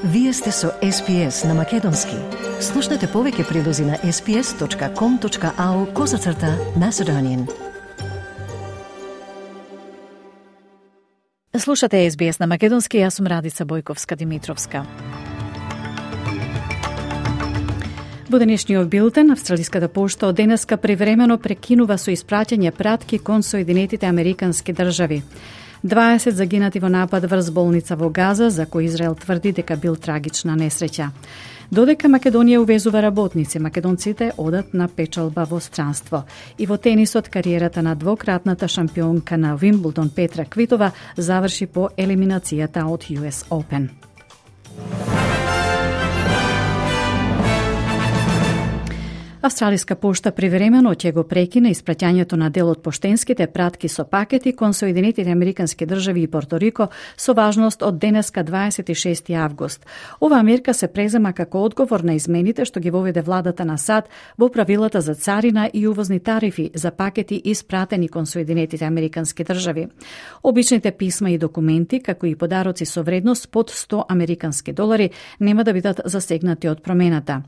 Вие сте со SPS на Македонски. Слушнете повеќе прилози на sps.com.au/Macedonian. Слушате SBS на Македонски, јас сум Радица Бојковска-Димитровска. Во денешниот билтен, Австралиската пошта од денеска привремено прекинува со испраќање пратки кон Соединетите Американски држави. 20 загинати во напад врз болница во Газа, за кој Израел тврди дека бил трагична несреќа. Додека Македонија увезува работници, македонците одат на печалба во странство. И во тенисот, кариерата на двократната шампионка на Вимблдон Петра Квитова заврши по елиминацијата од US Open. Австралиска пошта привремено ќе го прекине испраќањето на дел од поштенските пратки со пакети кон Соединетите Американски држави и Порто Рико со важност од денеска 26 август. Ова мерка се презема како одговор на измените што ги воведе владата на САД во правилата за царина и увозни тарифи за пакети испратени кон Соединетите Американски држави. Обичните писма и документи, како и подароци со вредност под 100 американски долари, нема да бидат засегнати од промената.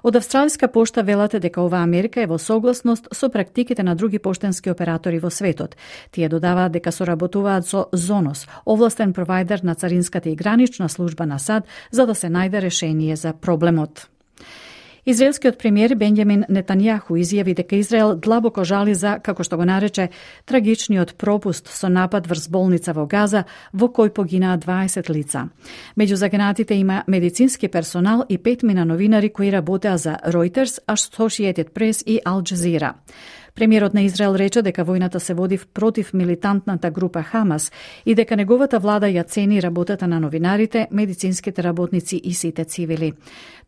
Од Австралиска пошта велат дека оваа мерка е во согласност со практиките на други поштенски оператори во светот. Тие додаваат дека соработуваат со Зонос, овластен провајдер на царинската и гранична служба на САД, за да се најде решение за проблемот. Израелскиот премиер Бенјамин Нетањаху изјави дека Израел длабоко жали за, како што го нарече, трагичниот пропуст со напад врз болница во Газа, во кој погинаа 20 лица. Меѓу загинатите има медицински персонал и 5 новинари кои работеа за Reuters, Associated Press и Al Jazeera. Премиерот на Израел рече дека војната се води против милитантната група Хамас и дека неговата влада ја цени работата на новинарите, медицинските работници и сите цивили.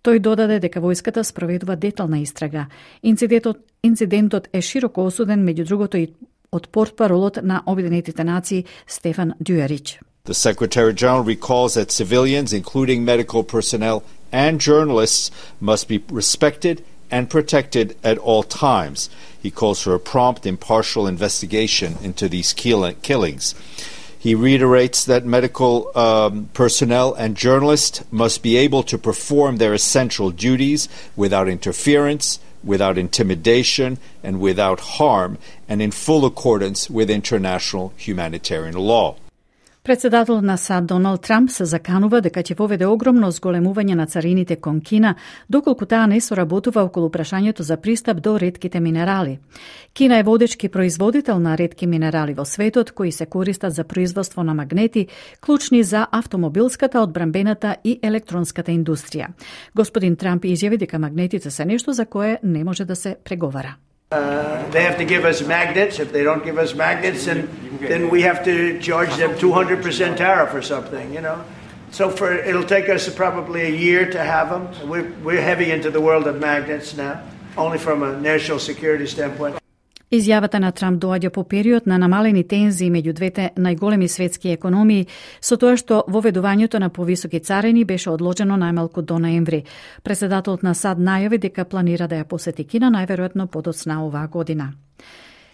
Тој додаде дека војската спроведува детална истрага. Инцидентот е широко осуден, меѓу другото и од портпаролот на Обединетите нации Стефан Дюјарич. The Secretary General recalls that civilians, including medical personnel and journalists, must be respected and protected at all times. He calls for a prompt, impartial investigation into these killings. He reiterates that medical personnel and journalists must be able to perform their essential duties without interference, without intimidation, and without harm, and in full accordance with international humanitarian law. Председателот на САД Доналд Трамп се заканува дека ќе воведе огромно зголемување на царините кон Кина, доколку таа не соработува околу прашањето за пристап до ретките минерали. Кина е водечки производител на ретки минерали во светот, кои се користат за производство на магнети, клучни за автомобилската, одбранбената и електронската индустрија. Господин Трамп изјави дека магнетите се нешто за кое не може да се преговара. They have to give us magnets. If they don't give us magnets, then we have to charge them 200% tariff or something, you know. So it'll take us probably a year to have them. We're heavy into the world of magnets now, only from a national security standpoint. Изјавата на Трамп доаѓа по период на намалени тензии меѓу двете најголеми светски економии, со тоа што воведувањето на повисоки царини беше одложено најмалку до ноември. Председателот на САД најави дека планира да ја посети Кина најверојатно подоцна оваа година.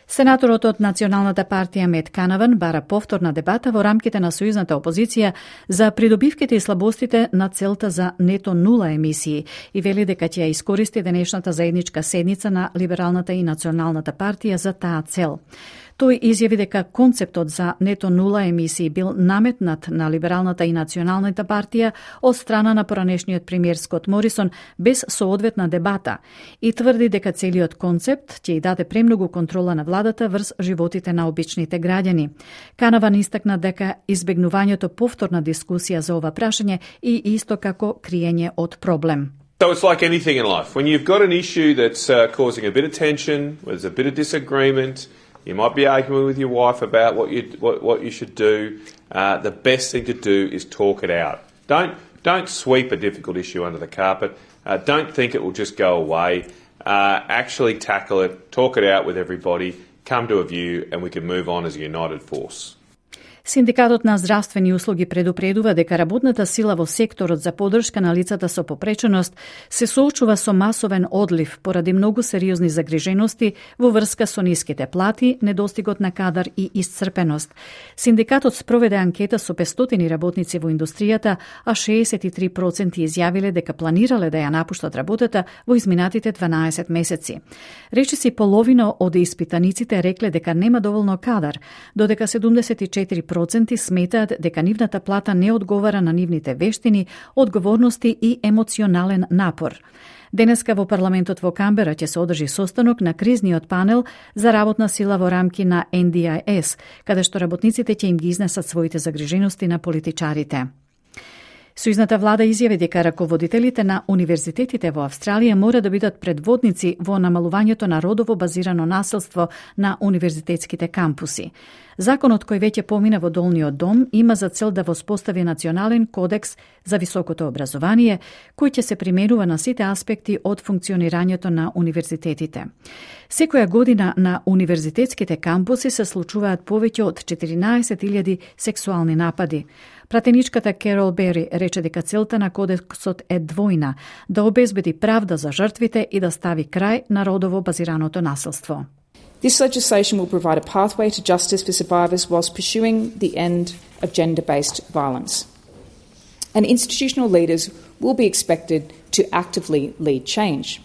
Сенаторот од Националната партија Мет Канаван бара повторна дебата во рамките на сојузната опозиција за придобивките и слабостите на целта за нето нула емисии и вели дека ќе ја искористи денешната заедничка седница на Либералната и Националната партија за таа цел. Тој изјави дека концептот за нето нула емисии бил наметнат на Либералната и Националната партија од страна на поранешниот премиер Скот Морисон без соодветна дебата и тврди дека целиот концепт ќе ја даде премногу контрола на владата врз животите на обичните граѓани. Канаван истакна дека избегнувањето повторна дискусија за ова прашање и исто како криење од проблем. So it's like anything in life. When you've got an issue that's causing a bit of tension, there's a bit of disagreement, you might be arguing with your wife about what you should do. The best thing to do is talk it out. Don't sweep a difficult issue under the carpet. Don't think it will just go away. Actually tackle it, talk it out with everybody, come to a view, and we can move on as a united force. Синдикатот на здравствени услуги предупредува дека работната сила во секторот за поддршка на лицата со попреченост се соочува со масовен одлив поради многу сериозни загрижености во врска со ниските плати, недостигот на кадар и исцрпеност. Синдикатот спроведе анкета со 500 работници во индустријата, а 63% изјавиле дека планирале да ја напуштат работата во изминатите 12 месеци. Речиси половина од испитаниците рекле дека нема доволно кадар, додека 74% сметаат дека нивната плата не одговара на нивните вештини, одговорности и емоционален напор. Денеска во парламентот во Камбера ќе се одржи состанок на кризниот панел за работна сила во рамки на NDIS, каде што работниците ќе им ги изнесат своите загрижености на политичарите. Сојузната влада изјави дека раководителите на универзитетите во Австралија мора да бидат предводници во намалувањето на родово базирано насилство на универзитетските кампуси. Законот кој веќе помина во Долниот дом има за цел да воспостави национален кодекс за високото образование, кој ќе се применува на сите аспекти од функционирањето на универзитетите. Секоја година на универзитетските кампуси се случуваат повеќе од 14.000 сексуални напади. Пратеничката Керол Бери рече дека целта на кодексот е двојна – да обезбеди правда за жртвите и да стави крај на родово базираното насилство. This legislation will provide a pathway to justice for survivors whilst pursuing the end of gender-based violence. And institutional leaders will be expected to actively lead change.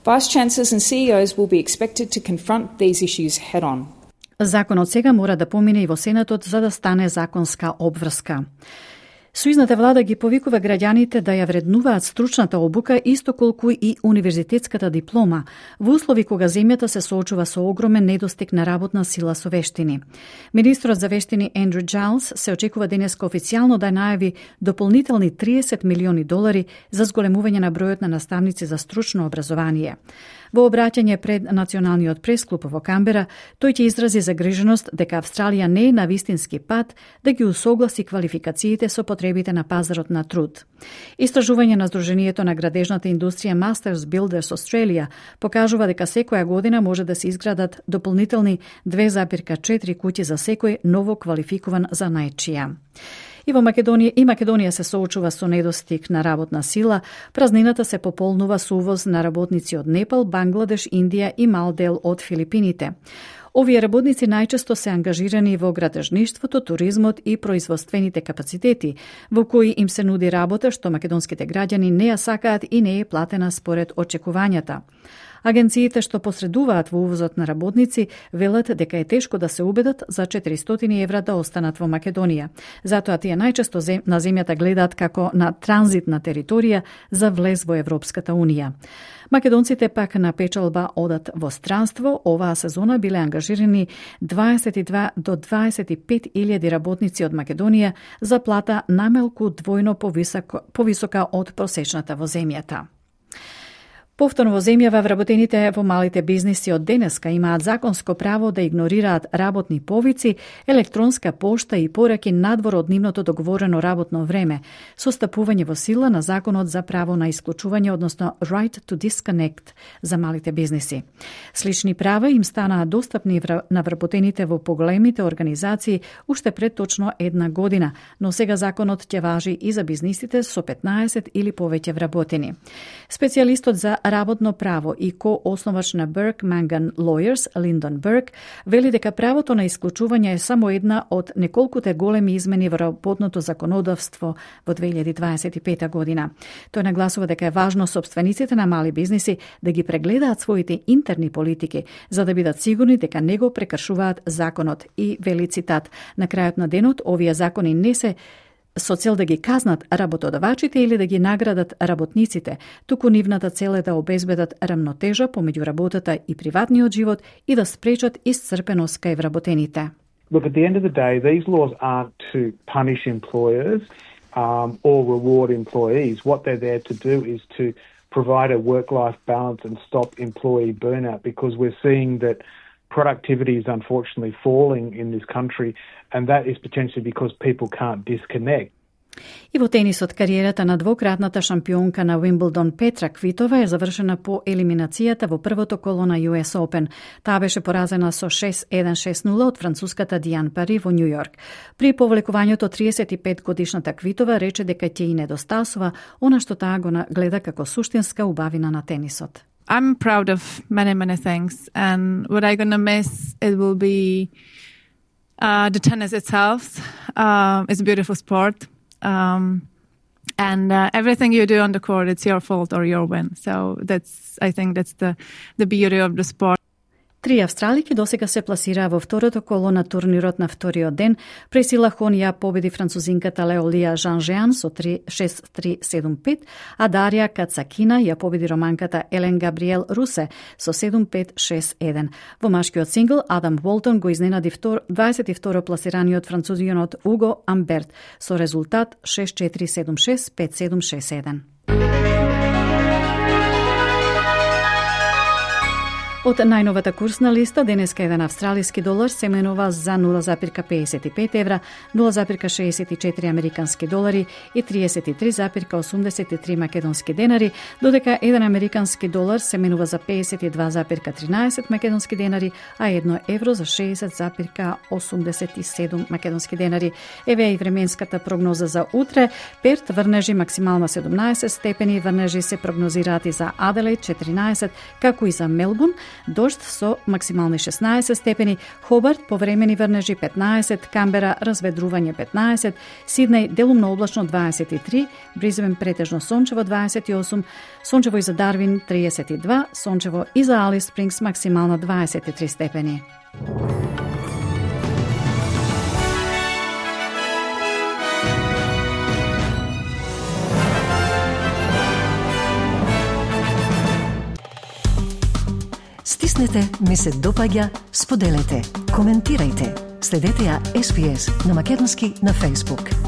Vice-chancellors and CEOs will be expected to confront these issues head-on. Законот сега мора да помине и во Сенатот за да стане законска обврска. Сојузната влада ги повикува граѓаните да ја вреднуваат стручната обука исто колку и универзитетската диплома, во услови кога земјата се соочува со огромен недостиг на работна сила со вештини. Министрот за вештини Ендрю Джайлс се очекува денеска официјално да најави дополнителни $30 милиони за зголемување на бројот на наставници за стручно образование. Во обраќање пред Националниот пресклуб во Камбера, тој ќе изрази загриженост дека Австралија не е на вистински пат да ги усогласи квалификациите со потребите на пазарот на труд. Истражување на Сдруженијето на градежната индустрија Masters Builders Australia покажува дека секоја година може да се изградат дополнителни 2,4 куќи за секој ново квалификуван занаетчија. И во Македонија се соочува со недостиг на работна сила, празнината се пополнува со увоз на работници од Непал, Бангладеш, Индија и мал дел од Филипините. Овие работници најчесто се ангажирани во градежништвото, туризмот и производствените капацитети, во кои им се нуди работа што македонските граѓани не ја сакаат и не е платена според очекувањата. Агенциите што посредуваат во увозот на работници велат дека е тешко да се убедат за €400 да останат во Македонија. Затоа тие најчесто на земјата гледаат како на транзитна територија за влез во Европската Унија. Македонците пак на печалба одат во странство. Оваа сезона биле ангажирани 22 до 25.000 работници од Македонија за плата намалку двојно повисока од просечната во земјата. Повторно во земјава вработените во малите бизниси од денеска имаат законско право да игнорираат работни повици, електронска пошта и пораки надвор од нивното договорено работно време, со стапување во сила на законот за право на исклучување, односно Right to Disconnect за малите бизниси. Слични права им станаа достапни на вработените во поголемите организации уште пред точно една година, но сега законот ќе важи и за бизнисите со 15 или повеќе вработени. Специјалистот за работно право и ко-основач на Burke Mangan Lawyers, Линдон Бурк, вели дека правото на исклучување е само една од неколкуте големи измени во работното законодавство во 2025 година. Тој нагласува дека е важно собствениците на мали бизниси да ги прегледаат своите интерни политики, за да бидат сигурни дека не го прекршуваат законот. И вели цитат: "На крајот на денот овие закони не се со цел да ги казнат работодавачите или да ги наградат работниците, туку нивната цел е да обезбедат рамнотежа помеѓу работата и приватниот живот и да спречат исцрпеност кај вработените." Look, at the end of the day, these laws aren't to punish employers or reward employees. What they're there to do is to provide a work-life balance and stop employee burnout, because we're seeing that productivity is unfortunately falling in this country, and that is potentially because people can't disconnect. И во тенисот, кариерата на двократната шампионка на Уимблдон Петра Квитова е завршена по елиминацијата во првото коло на US Open. Таа беше поразена со 6-1-6-0 од француската Диан Пари во Нью Йорк. При повлекувањето 35 годишната Квитова рече дека ќе и недостасува она што таа го гледа како суштинска убавина на тенисот. I'm proud of many things, and what I'm gonna miss, it will be the tennis itself. It's a beautiful sport. And everything you do on the court, it's your fault or your win. So I think that's the beauty of the sport. Три австралики досега се пласираа во второто коло на турнирот на вториот ден. Пресила Хон ја победи французинката Леолија Жан-Жеан со 6-3-7-5, а Дарија Кацакина ја победи романката Елен Габриел Русе со 7-5-6-1. Во машкиот сингл Адам Волтон го изненади 22 пласираниот французинот Уго Амберт со резултат 6-4-7-6, 5-7-6-1. Од најновата курсна листа, денеска еден австралиски долар се менува за 0,55 евра, 0,64 американски долари и 33,83 македонски денари, додека еден американски долар се менува за 52,13 македонски денари, а 1 евро за 60,87 македонски денари. Еве и временската прогноза за утре. Перт врнежи максимална 17 степени, врнежи се прогнозираат и за Аделаид 14, како и за Мелбурн, дожд со максимални 16 степени, Хобарт повремени врнежи 15, Камбера разведрување 15, Сиднеј делумно облачно 23, Бризбен претежно сончево 28, сончево и за Дарвин 32, сончево и за Алис Спрингс максимална 23 степени. Стиснете, ми се допаѓа, споделете, коментирајте. Следете ја SPS на Македонски на Facebook.